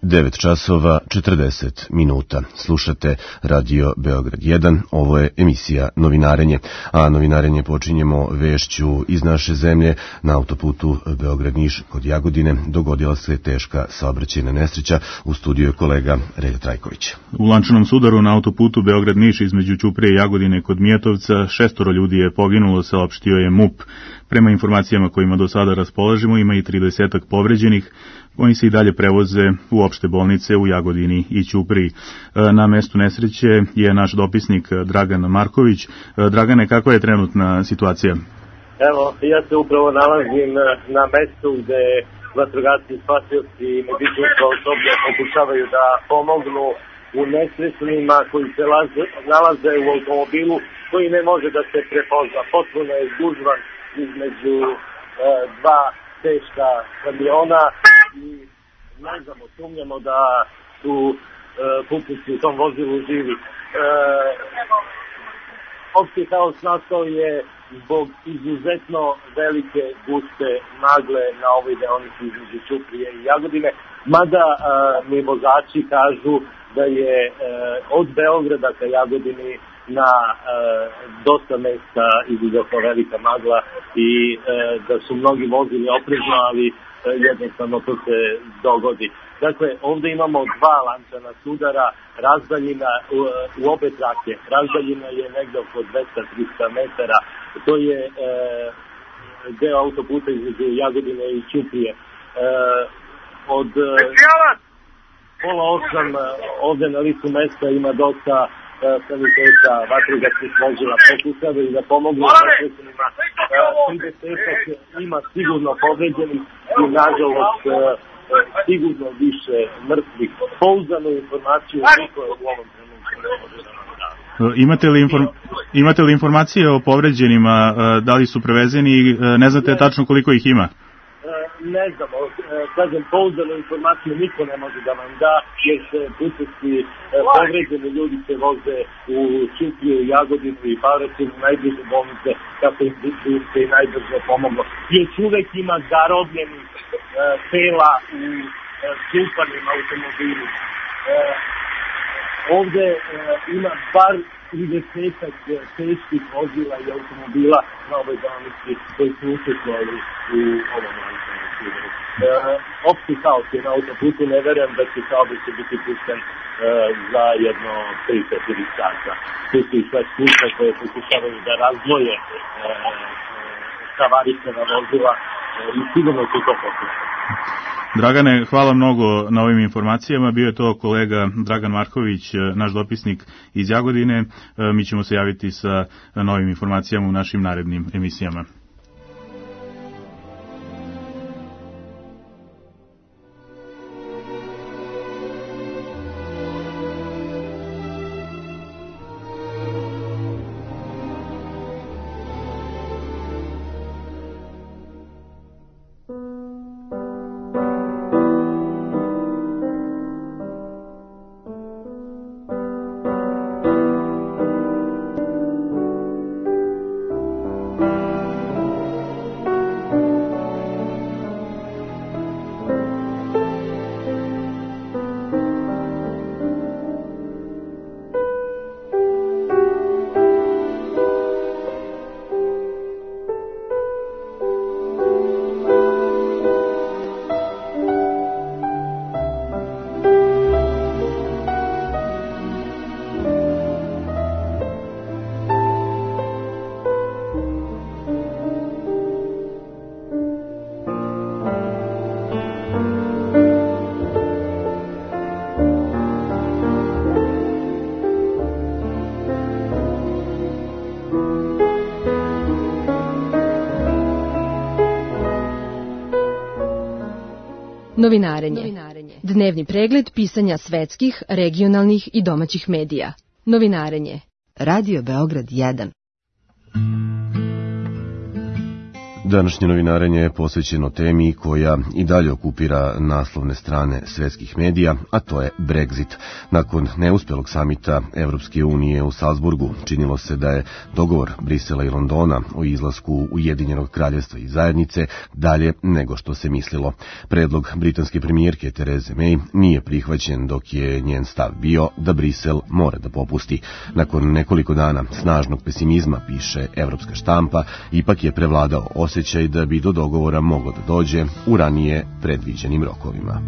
9 časova 40 minuta. Slušate Radio Beograd 1, ovo je emisija Novinarenje, a Novinarenje počinjemo vešću iz naše zemlje. Na autoputu Beograd-Niš kod Jagodine dogodila se teška saobraćajna nesreća. U studiju je kolega Relja Trajković. U lančanom sudaru na autoputu Beograd-Niš između Ćuprije i Jagodine kod Mijetovca 6 ljudi je poginulo, saopštio je MUP. Prema informacijama kojima do sada raspolažemo, ima i 30 povređenih. Oni se i dalje prevoze u opšte bolnice u Jagodini i Ćupriji. Na mestu nesreće je naš dopisnik Dragan Marković. Dragane, kakva je trenutna situacija? Evo, ja se upravo nalazim na mestu gde vatrogasci, spasioci i medicinsko osoblje pokušavaju da pomognu u nesrećnima koji se nalaze u automobilu koji ne može da se prepozna. Potpuno je gužvan između dva teška kamiona i ne znamo, sumnjamo da su putnici u tom vozilu živi. Opšti haos nastao je zbog izuzetno velike guste magle na ovoj deonici između Ćuprije i Jagodine, mada mi vozači kažu da je od Beograda ka Jagodini na dosta mesta izuzetno velika magla i da su mnogi vozili oprezno, ali jednostavno to se dogodi. Dakle, ovdje imamo dva lančana sudara, razdaljina u obe trake. Razdaljina je negdje oko 200-300 metara. To je deo autoputa između Jagodine i Ćuprije. Od pola 8 ovdje na licu mesta ima dosta saniteta, vatrogasnih vozila, pokušavaju da pomognu nesrećnima. 30 ima sigurno povređenih i nažalost sigurno više mrtvih. Pouzdanu informaciju niko u ovom trenutku ne može da nam da. Imate li informacije o povređenima, da li su prevezeni, ne znate tačno koliko ih ima? Ne znamo, kažem, pouzdanu informaciju niko ne može da vam da, jer se putnici povređeni ljudi se voze u Ćupriju, Jagodinu i Paraćinu, najbliže bolnice, kako im se i najbrže pomoglo. Još uvek ima zarobljenih tela u čupanim automobilima. Ovde ima bar 30 teških vozila i automobila na ovoj deonici koji su učestvovali u ovom lančanom sudaru. Opšti haos je na autoputu, ne verujem da će saobraćaj biti pušten za jedno 3-4 sata. Tu su i sve službe koje pokušavaju da razdvoje havarisana vozila i sigurno će to pokušati. Dragane, hvala mnogo na ovim informacijama. Bio je to kolega Dragan Marković, naš dopisnik iz Jagodine. Mi ćemo se javiti sa novim informacijama u našim narednim emisijama. Novinarenje. Dnevni pregled pisanja svetskih, regionalnih i domaćih medija. Novinarenje. Radio Beograd 1. Današnje novinarenje je posvećeno temi koja i dalje okupira naslovne strane svetskih medija, a to je Brexit. Nakon neuspelog samita Evropske unije u Salzburgu, činilo se da je dogovor Brisela i Londona o izlasku Ujedinjenog kraljevstva iz zajednice dalje nego što se mislilo. Predlog britanske premijerke Therese May nije prihvaćen, dok je njen stav bio da Brisel mora da popusti. Nakon nekoliko dana snažnog pesimizma, piše evropska štampa, ipak je prevladao osjećaj da bi do dogovora moglo da dođe u ranije predviđenim rokovima.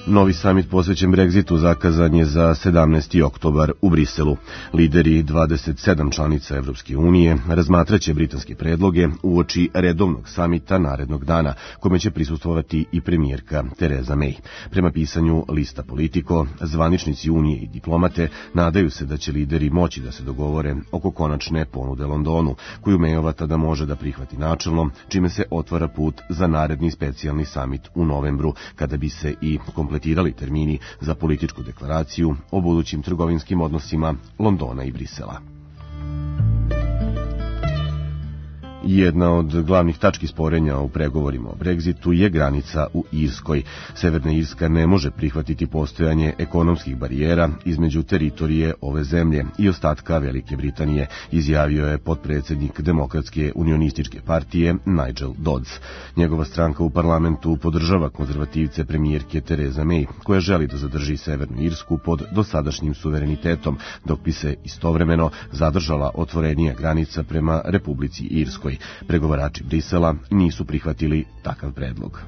Novi samit posvećen Brexitu zakazan je za 17. oktobar u Briselu. Lideri 27 članica Evropske unije razmatraće britanske predloge uoči redovnog samita narednog dana, kome će prisustvovati i premijerka Theresa May. Prema pisanju lista Politico, zvaničnici Unije i diplomate nadaju se da će lideri moći da se dogovore oko konačne ponude Londonu, koju Mayova tada može da prihvati načelno, čime se otvara put za naredni specijalni samit u novembru, kada bi se i kompletirali termini za političku deklaraciju o budućim trgovinskim odnosima Londona i Brisela. Jedna od glavnih tački sporenja u pregovorima o Brexitu je granica u Irskoj. Severna Irska ne može prihvatiti postojanje ekonomskih barijera između teritorije ove zemlje i ostatka Velike Britanije, izjavio je potpredsjednik Demokratske unionističke partije Nigel Dodds. Njegova stranka u parlamentu podržava konzervativce premijerke Therese May, koja želi da zadrži Severnu Irsku pod dosadašnjim suverenitetom, dok bi se istovremeno zadržala otvorenija granica prema Republici Irskoj. Pregovarači Brisela nisu prihvatili takav predlog.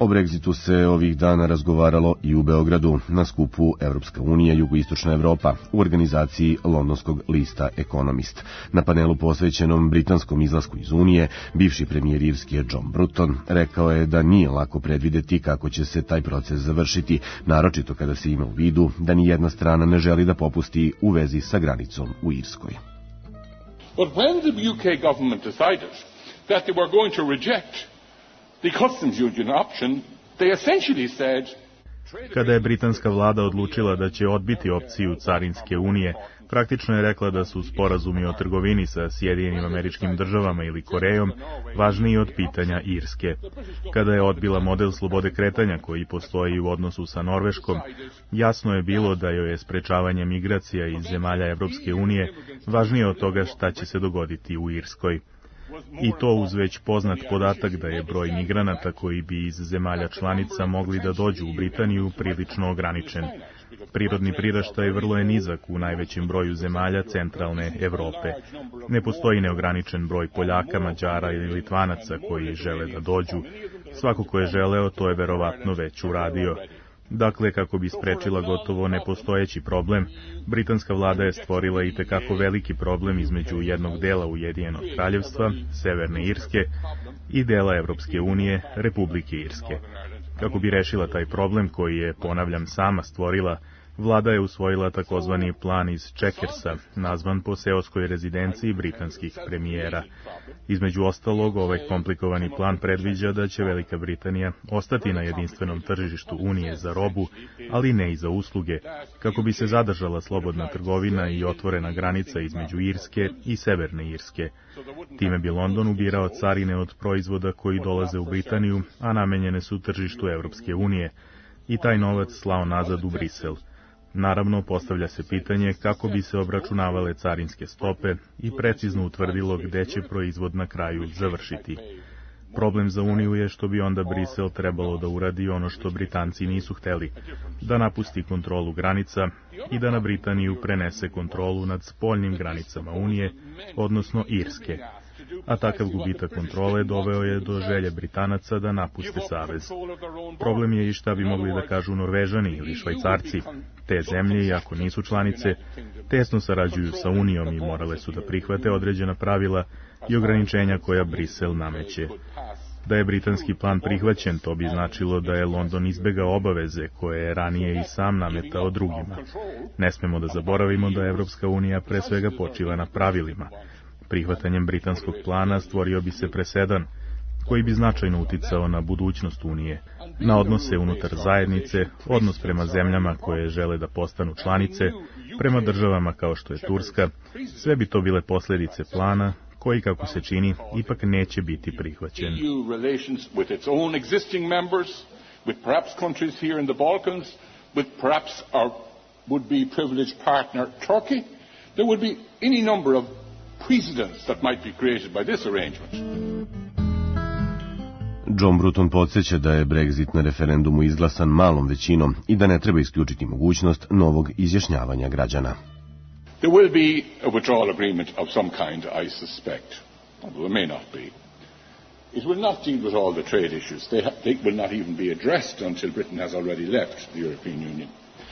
O Brexitu se ovih dana razgovaralo i u Beogradu na skupu Evropska unija Jugoistočna Evropa u organizaciji londonskog lista Economist. Na panelu posvećenom britanskom izlasku iz Unije, bivši premijer Irske John Bruton rekao je da nije lako predvideti kako će se taj proces završiti, naročito kada se ima u vidu da ni jedna strana ne želi da popusti u vezi sa granicom u Irskoj. But when the UK government decided that they were going to reject the customs union option, they essentially said... Kada je britanska vlada odlučila da će odbiti opciju carinske unije, praktično je rekla da su sporazumi o trgovini sa Sjedinjenim Američkim Državama ili Korejom važniji od pitanja Irske. Kada je odbila model slobode kretanja koji postoji u odnosu sa Norveškom, jasno je bilo da joj je sprečavanje migracija iz zemalja Evropske unije važnije od toga šta će se dogoditi u Irskoj. I to uz već poznat podatak da je broj migranata koji bi iz zemalja članica mogli da dođu u Britaniju prilično ograničen. Prirodni priraštaj vrlo je nizak u najvećem broju zemalja centralne Evrope. Ne postoji neograničen broj Poljaka, Mađara ili Litvanaca koji žele da dođu. Svako ko je želeo, to je verovatno već uradio. Dakle, kako bi sprečila gotovo nepostojeći problem, britanska vlada je stvorila i tekako veliki problem između jednog dela Ujedinjenog kraljevstva, Severne Irske, i dela Evropske unije, Republike Irske. Kako bi rešila taj problem koji je, ponavljam, sama stvorila, vlada je usvojila takozvani plan iz Checkersa, nazvan po seoskoj rezidenciji britanskih premijera. Između ostalog, ovaj komplikovani plan predviđa da će Velika Britanija ostati na jedinstvenom tržištu Unije za robu, ali ne i za usluge, kako bi se zadržala slobodna trgovina i otvorena granica između Irske i Severne Irske. Time bi London ubirao carine od proizvoda koji dolaze u Britaniju, a namenjene su tržištu Evropske unije, i taj novac slao nazad u Brisel. Naravno, postavlja se pitanje kako bi se obračunavale carinske stope i precizno utvrdilo gde će proizvod na kraju završiti. Problem za Uniju je što bi onda Brisel trebalo da uradi ono što Britanci nisu hteli, da napusti kontrolu granica i da na Britaniju prenese kontrolu nad spoljnim granicama Unije, odnosno Irske. A takav gubitak kontrole doveo je do želje Britanaca da napuste savez. Problem je i šta bi mogli da kažu Norvežani ili Švajcarci. Te zemlje, iako nisu članice, tesno sarađuju sa Unijom i morale su da prihvate određena pravila i ograničenja koja Brisel nameće. Da je britanski plan prihvaćen, to bi značilo da je London izbegao obaveze koje je ranije i sam nametao drugima. Ne smemo da zaboravimo da Evropska unija pre svega počiva na pravilima. Prihvatanjem britanskog plana stvorio bi se presedan koji bi značajno uticao na budućnost Unije, na odnose unutar zajednice, odnos prema zemljama koje žele da postanu članice, prema državama kao što je Turska. Sve bi to bile posljedice plana koji, kako se čini, ipak neće biti prihvaćen. With perhaps countries here in the Balkans, with perhaps our would-be privileged partner Turkey, there would be any number of precedents that might be created by this arrangement. John Bruton podsjeća da je Brexit na referendumu izglasan malom većinom i da ne treba isključiti mogućnost novog izjašnjavanja građana. There will be a withdrawal agreement of some kind, I suspect, although there may not be. It will not deal with all the trade issues. They will not even be addressed until Britain has already left the European Union.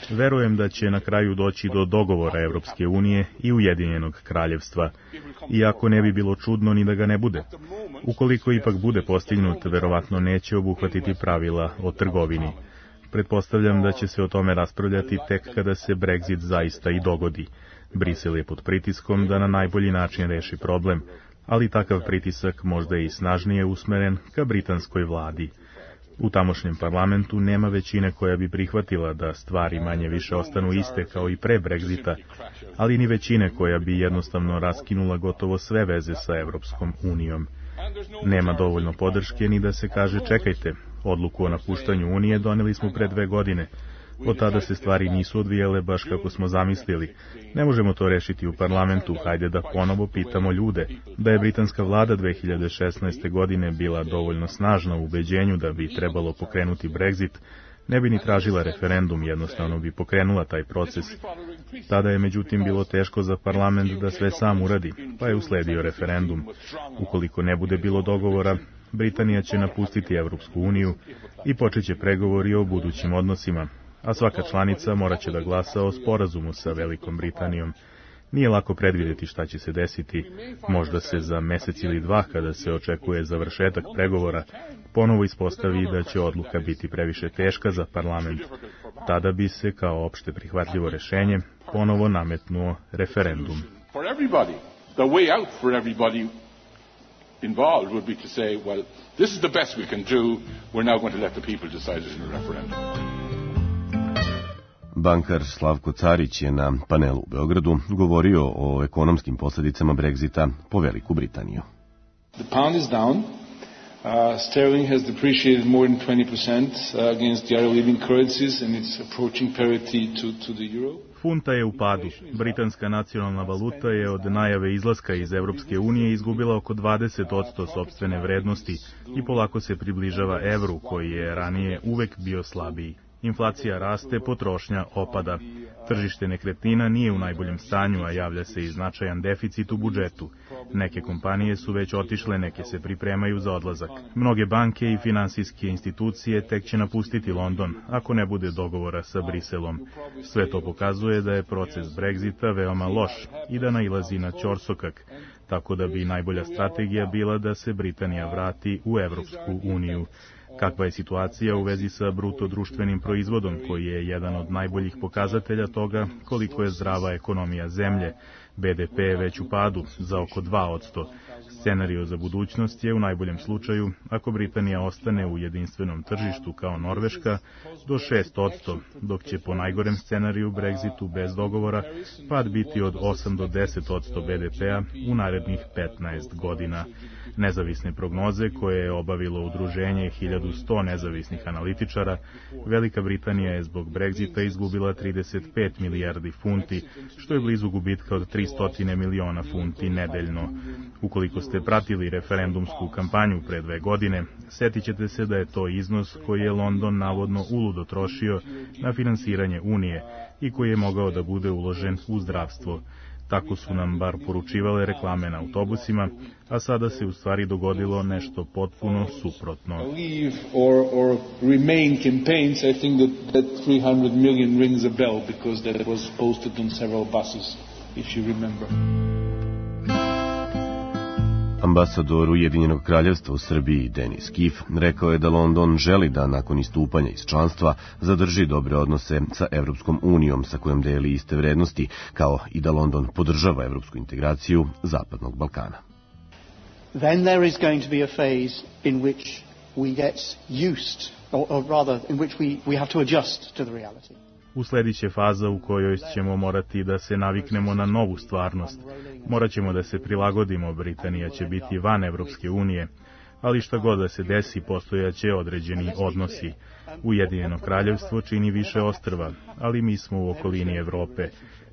Verujem da će na kraju doći do dogovora Evropske unije i Ujedinjenog kraljevstva, iako ne bi bilo čudno ni da ga ne bude. Ukoliko ipak bude postignut, verovatno neće obuhvatiti pravila o trgovini. Pretpostavljam da će se o tome raspravljati tek kada se Brexit zaista i dogodi. Brisel je pod pritiskom da na najbolji način reši problem, ali takav pritisak možda je i snažnije usmeren ka britanskoj vladi. U tamošnjem parlamentu nema većine koja bi prihvatila da stvari manje više ostanu iste kao i pre Brexita, ali ni većine koja bi jednostavno raskinula gotovo sve veze sa Evropskom unijom. Nema dovoljno podrške ni da se kaže čekajte, odluku o napuštanju Unije doneli smo pre 2 godine. Od tada se stvari nisu odvijale baš kako smo zamislili. Ne možemo to rešiti u parlamentu, hajde da ponovo pitamo ljude. Da je britanska vlada 2016. godine bila dovoljno snažna u ubeđenju da bi trebalo pokrenuti Brexit, ne bi ni tražila referendum, jednostavno bi pokrenula taj proces. Tada je međutim bilo teško za parlament da sve sam uradi, pa je usledio referendum. Ukoliko ne bude bilo dogovora, Britanija će napustiti Evropsku uniju i počeće pregovori o budućim odnosima, a svaka članica morat će da glasa o sporazumu sa Velikom Britanijom. Nije lako predvidjeti šta će se desiti. Možda se za mesec ili 2, kada se očekuje završetak pregovora, ponovo ispostavi da će odluka biti previše teška za parlament. Tada bi se, kao opšte prihvatljivo rešenje, ponovo nametnuo referendum. Involved would be to say, well, this is the best we can do, we're now going to let the people decide it in a referendum. Bankar Slavko Carić je na panelu u Beogradu govorio o ekonomskim posljedicama Brexita po Veliku Britaniju. The pound is down. Sterling has depreciated more than 20% against the other leading currencies and it's approaching parity to the euro. Funta je u padu. Britanska nacionalna valuta je od najave izlaska iz Evropske unije izgubila oko 20% sopstvene vrednosti i polako se približava evru koji je ranije uvek bio slabiji. Inflacija raste, potrošnja opada. Tržište nekretnina nije u najboljem stanju, a javlja se i značajan deficit u budžetu. Neke kompanije su već otišle, neke se pripremaju za odlazak. Mnoge banke i finansijske institucije tek će napustiti London, ako ne bude dogovora sa Briselom. Sve to pokazuje da je proces Brexita veoma loš i da nailazi na ćorsokak, tako da bi najbolja strategija bila da se Britanija vrati u Evropsku uniju. Kakva je situacija u vezi sa bruto društvenim proizvodom, koji je jedan od najboljih pokazatelja toga koliko je zdrava ekonomija zemlje? BDP je već u padu za oko 2%. Scenario za budućnost je u najboljem slučaju, ako Britanija ostane u jedinstvenom tržištu kao Norveška, do 6%, dok će po najgorem scenariju Brexitu bez dogovora pad biti od 8 do 10% BDP-a u narednih 15 godina. Nezavisne prognoze koje je obavilo udruženje 1100 nezavisnih analitičara, Velika Britanija je zbog Brexita izgubila 35 milijardi funti, što je blizu gubitka od 300 miliona funti nedeljno. Ukoliko ste pratili referendumsku kampanju pre 2 godine, setit ćete se da je to iznos koji je London navodno uludo trošio na finansiranje Unije i koji je mogao da bude uložen u zdravstvo. Tako su nam bar poručivale reklame na autobusima, a sada se u stvari dogodilo nešto potpuno suprotno. Or remain campaigns, I think that 300 million rings a bell because that was posted on several buses, if you remember. Ambasador Ujedinjenog kraljevstva u Srbiji Denis Kif rekao je da London želi da nakon istupanja iz članstva zadrži dobre odnose sa Evropskom unijom sa kojom deli iste vrednosti, kao i da London podržava evropsku integraciju Zapadnog Balkana. then there is going to be a phase in which we get used, or rather in which we have to adjust to the reality. Usledit će faza u kojoj ćemo morati da se naviknemo na novu stvarnost. Morat ćemo da se prilagodimo, Britanija će biti van Evropske unije, ali šta god da se desi, postojaće određeni odnosi. Ujedinjeno kraljevstvo čini više ostrva, ali mi smo u okolini Evrope.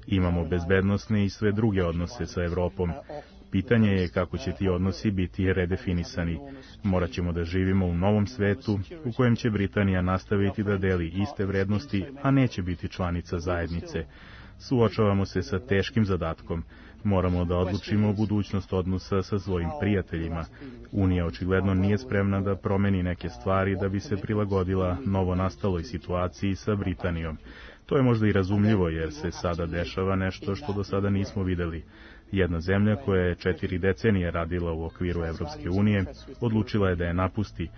Imamo bezbednosne i sve druge odnose sa Evropom. Pitanje je kako će ti odnosi biti redefinisani. Morat ćemo da živimo u novom svetu u kojem će Britanija nastaviti da deli iste vrednosti, a neće biti članica zajednice. Suočavamo se sa teškim zadatkom. Moramo da odlučimo budućnost odnosa sa svojim prijateljima. Unija očigledno nije spremna da promeni neke stvari da bi se prilagodila novonastaloj situaciji sa Britanijom. To je možda i razumljivo jer se sada dešava nešto što do sada nismo videli. Jedna zemlja koja je 4 decenije radila u okviru Evropske unije odlučila je da je napusti,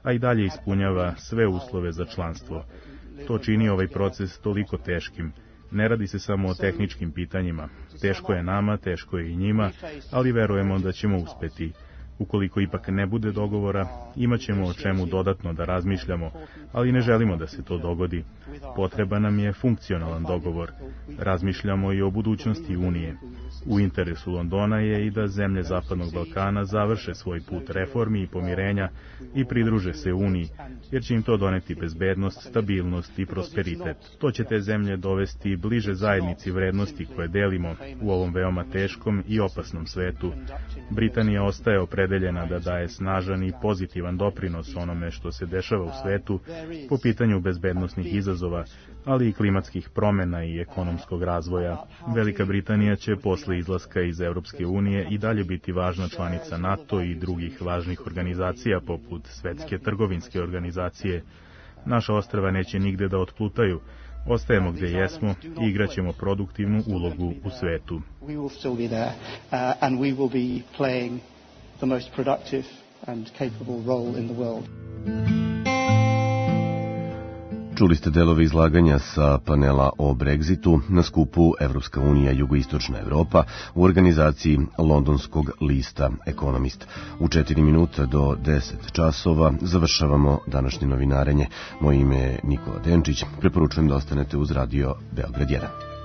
a i dalje ispunjava sve uslove za članstvo. To čini ovaj proces toliko teškim. Ne radi se samo o tehničkim pitanjima. Teško je nama, teško je i njima, ali verujemo da ćemo uspeti. Ukoliko ipak ne bude dogovora, imat ćemo o čemu dodatno da razmišljamo, ali ne želimo da se to dogodi. Potreban nam je funkcionalan dogovor. Razmišljamo i o budućnosti Unije. U interesu Londona je i da zemlje Zapadnog Balkana završe svoj put reformi i pomirenja i pridruže se Uniji, jer će im to doneti bezbednost, stabilnost i prosperitet. To će te zemlje dovesti bliže zajednici vrednosti koje delimo u ovom veoma teškom i opasnom svetu. Britanija ostaje opredeljena da daje snažan i pozitivan doprinos onome što se dešava u svetu po pitanju bezbednosnih izazova, ali i klimatskih promena i ekonomskog razvoja. Velika Britanija će posle izlaska iz Evropske unije i dalje biti važna članica NATO i drugih važnih organizacija poput Svetske trgovinske organizacije. Naša ostrva neće nigde da otplutaju. Ostajemo gdje jesmo i igraćemo produktivnu ulogu u svetu. The most productive and capable role in the world. Čuli ste delove izlaganja sa panela o Brexitu na skupu Evropska unija Jugoistočna Evropa u organizaciji londonskog lista Economist. U 4 minuta do 10 časova završavamo današnje novinarenje. Moje ime je Nikola Denčić. Preporučujem da ostanete uz radio Beograd 1.